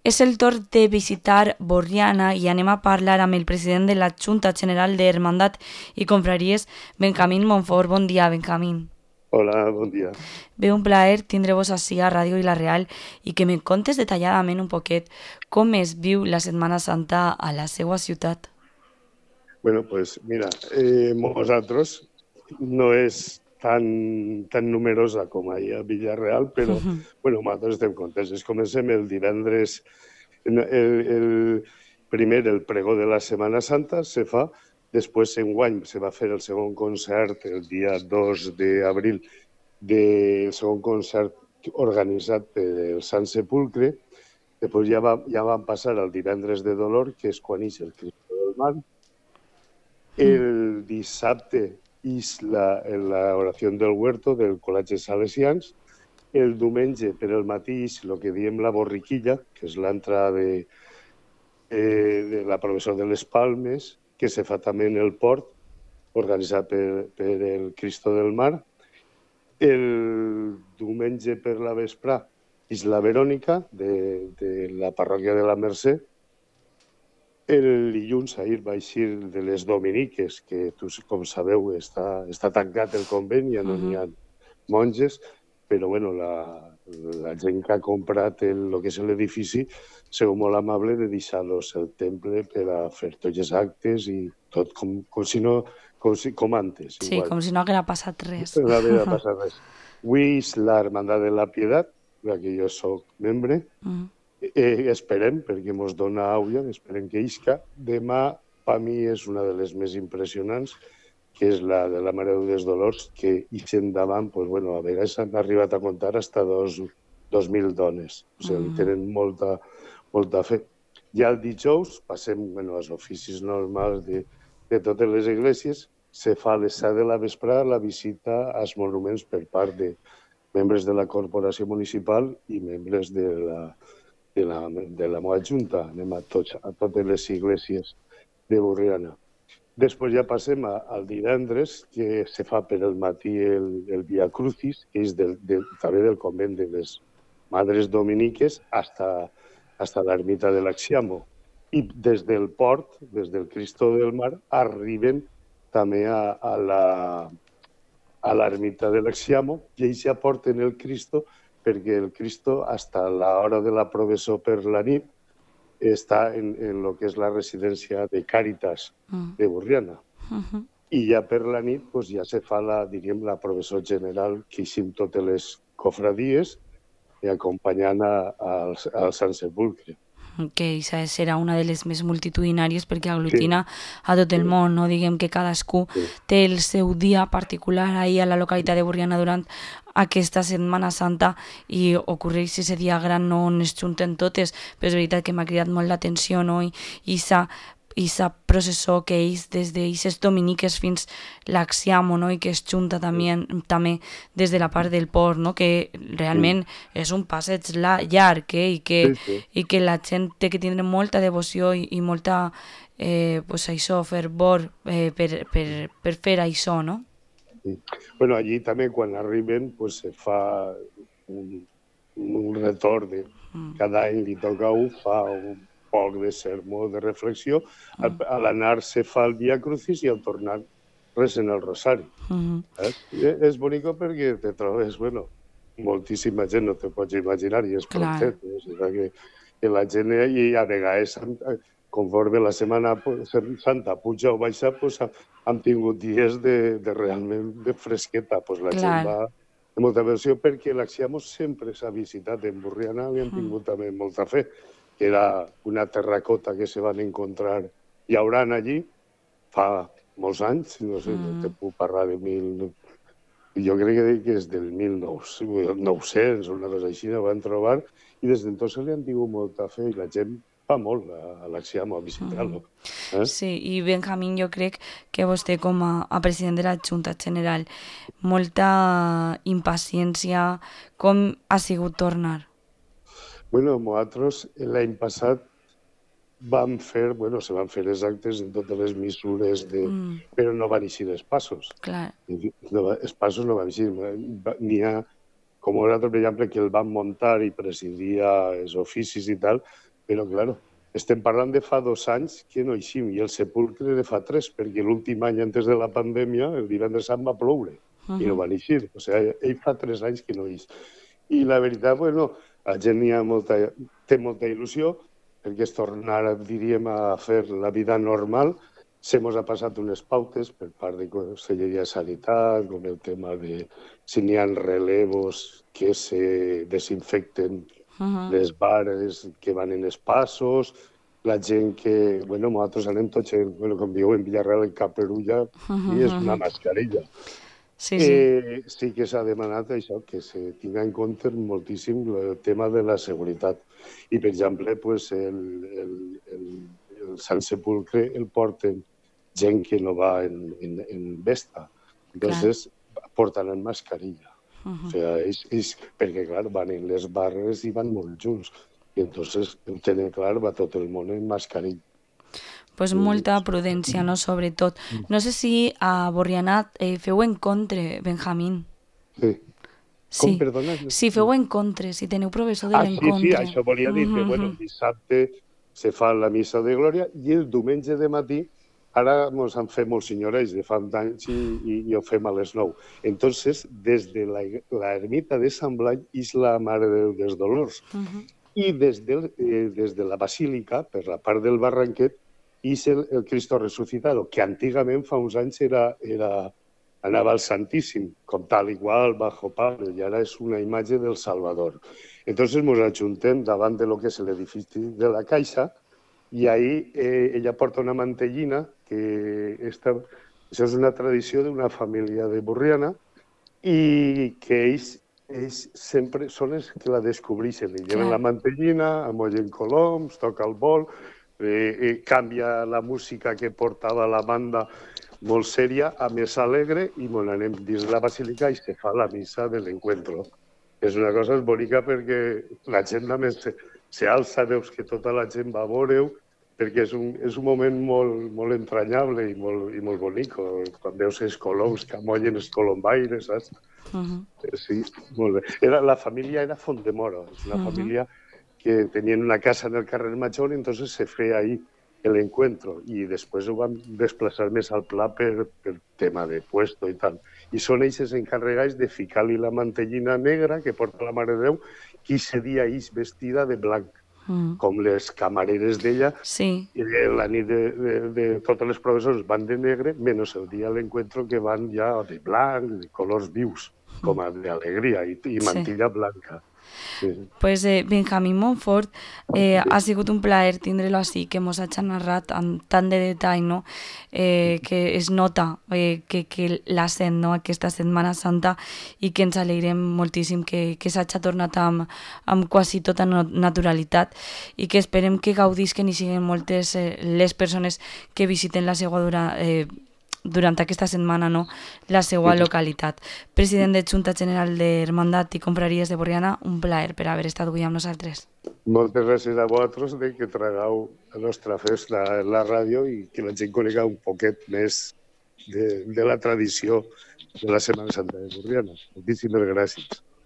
És el torn de visitar Borriana i anem a parlar amb el president de la Junta General d'Hermandat i Confraries, Benjamín Monfort. Bon dia, Benjamín. Hola, bon dia. Ve un plaer tindre-vos ací a Ràdio i La Real i que me contes detalladament un poquet com es viu la Setmana Santa a la seva ciutat. Bueno, pues mira, nosaltres no és tan numerosa com ahir a Villarreal, però bueno, nosaltres estem contents. Comencem el divendres, el pregó de la Setmana Santa se fa, després enguany se va fer el segon concert el dia 2 d'abril, del segon concert organitzat pel Sant Sepulcre. Després ja van passar al divendres de Dolor, que és quan ix el Cristo del Mar. El dissabte és l'oració del Huerto del Col·legi Salesians. El diumenge per el matí és el que diem la borriquilla, que és l'entrada de la professor de les Palmes, que se fa també en el port, organitzat per el Cristo del Mar. El diumenge per la vesprà és la Verònica de la parròquia de la Mercè. El dilluns ahir va eixir de les Dominiques, que com sabeu està tancat el convent, ja no n'hi ha monges, però bueno, la gent que ha comprat el que és l'edifici sigut molt amable de deixar-los el temple per a fer tots els actes i tot com antes. Sí, igual. com si no haguera passat res. No havia passat res. Avui és l'Hermandat de la Pietat, de la que jo soc membre. Esperem, perquè ens dona àuia, esperem que isca. Demà, per mi, és una de les més impressionants, que és la de la Mare dels Dolors, que ixen davant, pues, bueno, a vegades han arribat a comptar fins a 2.000 dones. O sigui, tenen molta fe. Ja el dijous passem als oficis normals de totes les esglésies. Se fa a les 7 de la vesprada la visita als monuments per part de membres de la corporació municipal i membres de la meva junta. Anem a totes les esglésies de Borriana. Després ja passem al divendres, que se fa per el matí el Via Crucis, que és també del convent de les Madres Dominiques hasta l'ermita de l'Axiamo. I des del port, des del Cristo del Mar, arriben també a l'ermita de l'Axiamo i ells ja porten el Cristo perquè el Cristo, fins a l'hora de la professó per la nit, està en el que és la residència de Càritas de Borriana. I ja per la nit ja se fa la professó general que eixim totes les cofradies acompanyant al Sant Sepulcre. Que això serà una de les més multitudinàries perquè aglutina a tot el món, no? Diguem que cadascú té el seu dia particular ahir a la localitat de Borriana durant aquesta Setmana Santa i ocorreix ese dia gran on es junten totes, però és veritat que m'ha cridat molt l'atenció, no? I sa processó que és des d'eixes dominiques fins l'Axiamo, no? I que es junta també des de la part del port, no? Que realment és un passeig llarg, i que la gent té que tindre molta devoció i molta fervor per fer això, no? Bueno, allí també quan arriben se fa un retorn de cada any li toca fa un poc de sermó, de reflexió. A l'anar se fa el Via Crucis i al tornar recen el Rosari. És bonic perquè te trobes, moltíssima gent, no te pots imaginar, i és prontet. Que la gent, i a vegades, conforme la Setmana Santa puja o baixa, hem tingut dies realment de fresqueta. La gent va de molta versió perquè l'Axiamo sempre s'ha visitat en Borriana i han tingut també molta fe, que era una terracota que se van encontrar llaurant allí fa molts anys, no sé, no te puc parlar de jo crec que és del 1900 o una cosa així, ho van trobar, i des d'entonces li han tingut molta fe i la gent va molt a l'Axiamo a visitar-lo. Sí, i Benjamín, jo crec que vostè com a president de la Junta General, molta impaciència, com ha sigut tornar? Nosaltres l'any passat se van fer els actes en totes les mesures, però no van eixir els passos. Clar. Els passos no van eixir. N'hi ha, com nosaltres, per exemple, que el van muntar i presidia els oficis i tal, Però, clar, estem parlant de fa 2 anys que no eixim, i el sepulcre de fa 3, perquè l'últim any antes de la pandèmia, el divendres sant va ploure, i no van eixir. O sigui, ell fa 3 anys que no eix. I la veritat, bueno, la gent té molta il·lusió, perquè es tornarà, diríem, a fer la vida normal. Se mos ha passat unes pautes per part de Conselleria de Sanitat, com el tema de si n'hi ha relevos que se desinfecten les bares que van en els passos, la gent que, bueno, nosaltres anem tots, com diu en Villarreal, en caperulla, i és una mascarilla. Sí. Sí que s'ha demanat això, que se tinga en compte moltíssim el tema de la seguretat. I, per exemple, pues, el Sant Sepulcre el porten gent que no va en vesta. Entonces, portaran mascarilla. O sigui, perquè, clar, van en les barres i van molt junts. I entonces, ho tenen clar, va tot el món en mascarilla. Pues molta prudència, no?, sobretot. No sé si a Borriana feu encontre, Benjamín. Sí. Com, perdona? Si feu encontre, si teniu professor de l'encontre. Sí, això volia dir que, bueno, dissabte se fa la missa de glòria i el diumenge de matí, ara ens han fet molts senyorets de fa anys i ho fem a les 9. Entonces, des de l'ermita de Sant Blai és la Mare de Déu dels Dolors. I des de la basílica, per la part del Barranquet, és el Cristo Resucitado, que antigament, fa uns anys, anava al Santíssim, com tal igual, bajo palo, i ara és una imatge del Salvador. Entonces ens ajuntem davant de lo que és l'edifici de la Caixa, i ahí ella porta una mantellina, que això és una tradició d'una família de Borriana, i que ells sempre són els que la descobreixen. Li lleven la mantellina, amollen coloms, toca el bol, canvia la música que portava la banda molt sèria a més alegre, i anem dins la basílica i se fa la missa de l'encuentro. És una cosa bonica perquè la gent només s'alça, veus que tota la gent va a veure-ho, perquè és un moment molt entranyable i molt bonic, quan veus els coloms que amollen els colombaires, saps? Sí, molt bé. La família era Fontdemora, és una família que tenien una casa en el carrer Major, i entonces se feia ahí el encuentro, i després ho van desplaçar més al pla per tema de puesto i tal. I són ells els encarregats de ficar-li la mantellina negra que porta la Mare de Déu, que aquest dia és vestida de blanc, com les camareres d'ella. La nit de totes les professors van de negre, menys el dia de l'encuentro que van ja de blanc, de colors vius, com a d'alegria, i mantilla blanca. Pues Benjamín Montfort, ha sigut un plaer tindre-lo així, que mos hagi narrat amb tant de detall, no? Que es nota que la sent, no?, aquesta Setmana Santa, i que ens alegrem moltíssim que s'hagi tornat amb quasi tota naturalitat, i que esperem que gaudisquen i siguin moltes les persones que visiten la seva durant aquesta setmana, no?, la seva localitat. President de Junta General d'Hermandat i Confraries de Borriana, un plaer per haver estat avui amb nosaltres. Moltes gràcies a vosaltres de que tragueu la nostra festa en la ràdio i que la gent conega un poquet més de la tradició de la Setmana Santa de Borriana. Moltíssimes gràcies.